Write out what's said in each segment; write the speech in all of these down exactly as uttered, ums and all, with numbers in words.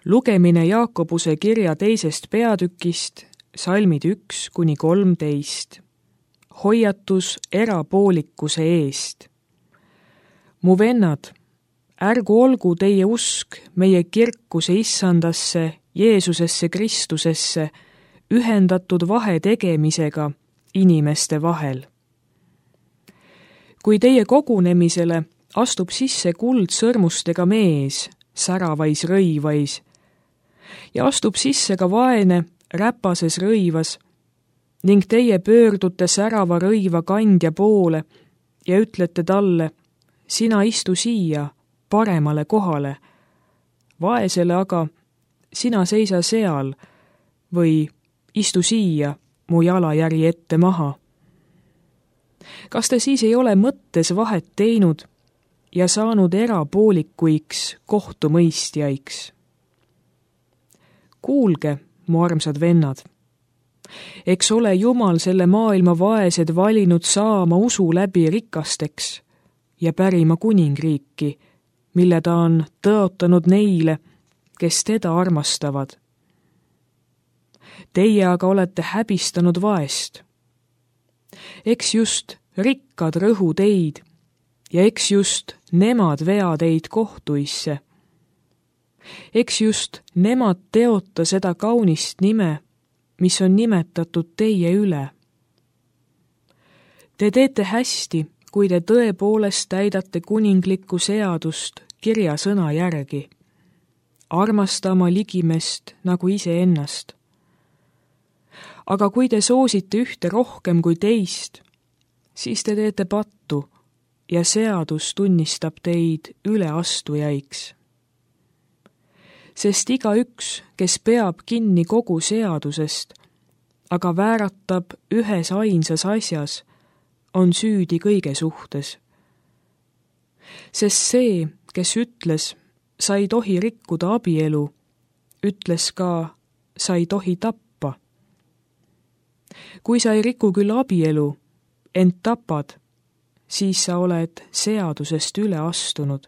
Lugemine Jaakobuse kirja teisest peatükist, salmid üks kuni kolmteist. Hoiatus erapoolikuse eest. Mu vennad, ärgu olgu teie usk meie kirkuse issandasse, Jeesusesse Kristusesse, ühendatud vahe tegemisega inimeste vahel. Kui teie kogunemisele astub sisse kuldsõrmustega mees, säravais rõivais, ja astub sisse ka vaene räpases rõivas, ning teie pöördute särava rõiva kandja poole ja ütlete talle, sina istu siia paremale kohale, vaesele aga sina seisa seal või istu siia mu jalajäri ette maha. Kas te siis ei ole mõttes vahet teinud ja saanud erapoolikuiks kohtumõistjaiks? Kuulge, mu armsad vennad, eks ole Jumal selle maailma vaesed valinud saama usu läbi rikasteks ja pärima kuningriiki, mille ta on tõotanud neile, kes teda armastavad. Teie aga olete häbistanud vaest. Eks just rikkad rõhu teid ja eks just nemad vea teid kohtuisse. Eks just nemad teota seda kaunist nime, mis on nimetatud teie üle. Te teete hästi, kui te tõepoolest täidate kuninglikku seadust kirja sõna järgi, armasta oma ligimest nagu iseennast. Aga kui te soosite ühte rohkem kui teist, siis te teete pattu ja seadus tunnistab teid üleastujaiks. Sest igaüks, kes peab kinni kogu seadusest, aga vääratab ühes ainsas asjas, on süüdi kõige suhtes. Sest see, kes ütles, sa ei tohi rikkuda abielu, ütles ka, sa ei tohi tappa. Kui sa ei riku küll abielu, ent tapad, siis sa oled seadusest üle astunud.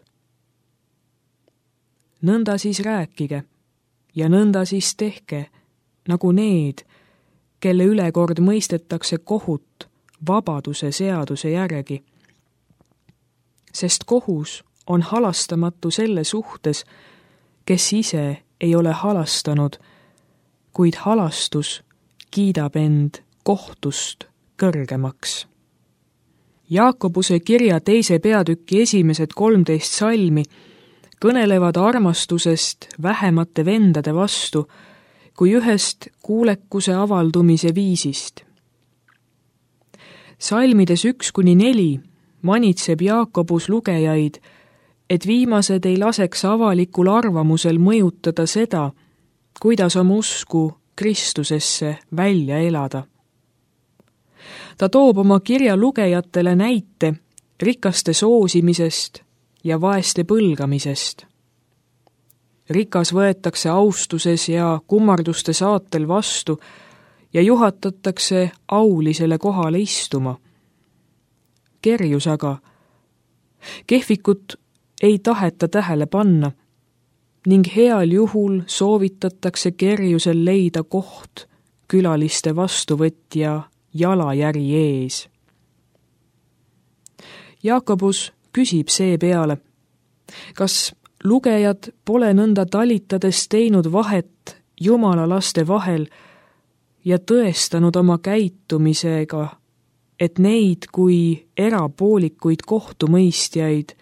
Nõnda siis rääkige ja nõnda siis tehke, nagu need, kelle ülekord mõistetakse kohut vabaduse seaduse järgi. Sest kohus on halastamatu selle suhtes, kes ise ei ole halastanud, kuid halastus kiidab end kohtust kõrgemaks. Jaakobuse kirja teise peatüki esimesed kolmteist salmi kõnelevad armastusest vähemate vendade vastu kui ühest kuulekuse avaldumise viisist. Salmides üks kuni neli manitseb Jaakobus lugejaid, et viimased ei laseks avalikul arvamusel mõjutada seda, kuidas oma usku Kristusesse välja elada. Ta toob oma kirja lugejatele näite rikaste soosimisest ja vaeste põlgamisest. Rikas võetakse austuses ja kummarduste saatel vastu ja juhatatakse aulisele kohale istuma. Kerjus aga, kehvikut ei taheta tähele panna ning heal juhul soovitatakse kerjusel leida koht külaliste vastuvõtja jalajäri ees. Jaakobus küsib seepeale, kas lugejad pole nõnda talitades teinud vahet Jumala laste vahel ja tõestanud oma käitumisega, et neid kui erapoolikuid kohtumõistjaid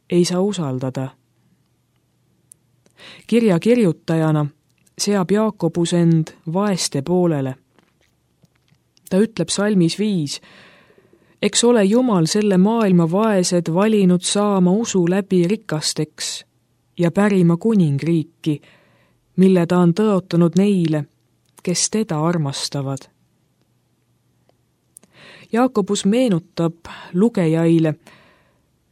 ei saa usaldada. Kirja kirjutajana seab Jaakobus end vaeste poolele. Ta ütleb salmis viis, eks ole Jumal selle maailma vaesed valinud saama usu läbi rikasteks ja pärima kuningriiki, mille ta on tõotanud neile, kes teda armastavad. Jaakobus meenutab lugejaile,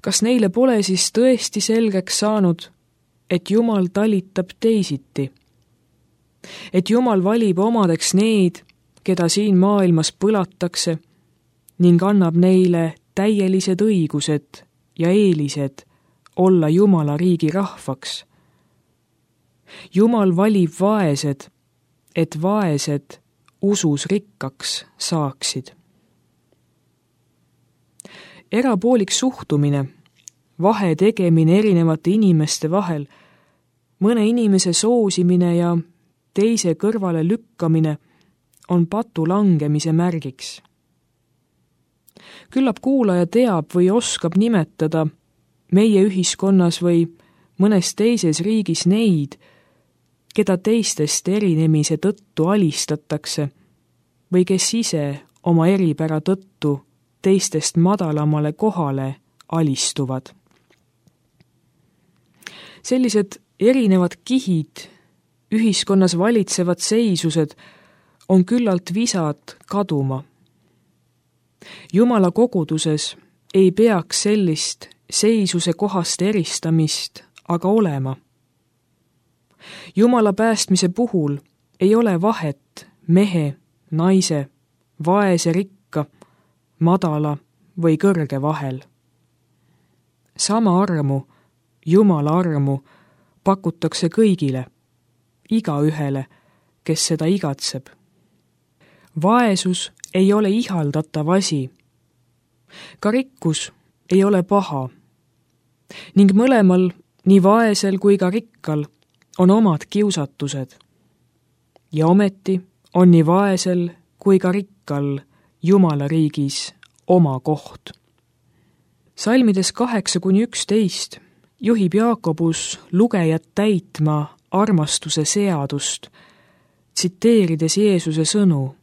kas neile pole siis tõesti selgeks saanud, et Jumal talitab teisiti, et Jumal valib omadeks need, keda siin maailmas põlatakse, ning annab neile täielised õigused ja eelised olla Jumala riigi rahvaks. Jumal valib vaesed, et vaesed usus rikkaks saaksid. Erapoolik suhtumine, vahe tegemine erinevate inimeste vahel, mõne inimese soosimine ja teise kõrvale lükkamine on patu langemise märgiks. Küllap kuulaja teab või oskab nimetada meie ühiskonnas või mõnes teises riigis neid, keda teistest erinemise tõttu alistatakse või kes ise oma eripära tõttu teistest madalamale kohale alistuvad. Sellised erinevad kihid, ühiskonnas valitsevad seisused on küllalt visad kaduma. Jumala koguduses ei peaks sellist seisuse kohast eristamist aga olema. Jumala päästmise puhul ei ole vahet mehe, naise, vaese, rikka, madala või kõrge vahel. Sama armu, Jumala armu, pakutakse kõigile, igaühele, kes seda igatseb. Vaesus ei ole ihaldatav asi. Ka rikkus ei ole paha. Ning mõlemal, nii vaesel kui ka rikkal, on omad kiusatused. Ja ometi on nii vaesel kui ka rikkal Jumala riigis oma koht. Salmides kaheksa kuni üksteist juhib Jaakobus lugejat täitma armastuse seadust, tsiteerides Jeesuse sõnu: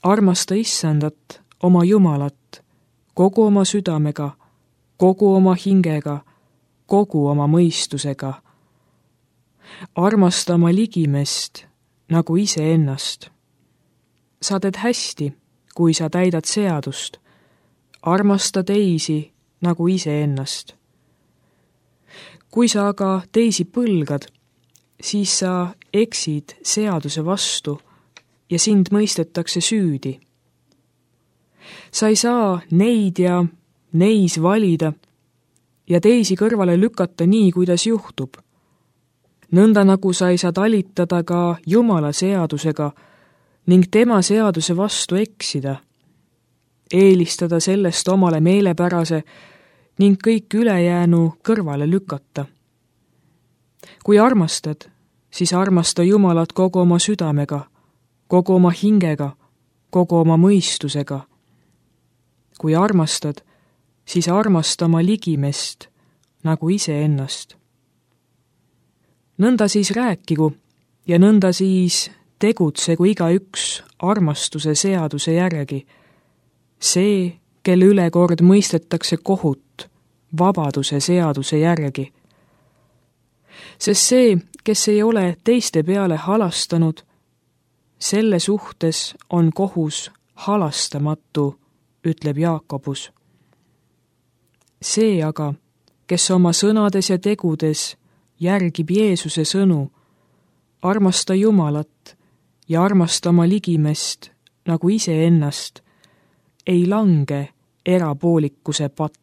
armasta Issandat, oma Jumalat, kogu oma südamega, kogu oma hingega, kogu oma mõistusega. Armasta oma ligimest nagu iseennast. Sa teed hästi, kui sa täidad seadust. Armasta teisi nagu iseennast. Kui sa aga teisi põlgad, siis sa eksid seaduse vastu ja sind mõistetakse süüdi. Sa ei saa neid ja neis valida ja teisi kõrvale lükata nii, kuidas juhtub. Nõnda nagu sa ei saa talitada ka Jumala seadusega ning tema seaduse vastu eksida, eelistada sellest omale meelepärase ning kõik ülejäänu kõrvale lükata. Kui armastad, siis armasta Jumalat kogu oma südamega, kogu oma hingega, kogu oma mõistusega. Kui armastad, siis armasta oma ligimest nagu iseennast. Nõnda siis rääkigu ja nõnda siis tegutsegu igaüks armastuse seaduse järgi. See, kelle üle kord mõistetakse kohut vabaduse seaduse järgi. Sest see, kes ei ole teiste peale halastanud, selle suhtes on kohus halastamatu, ütleb Jaakobus. See aga, kes oma sõnades ja tegudes järgib Jeesuse sõnu, armasta Jumalat ja armasta oma ligimest nagu iseennast, ei lange erapoolikuse patta.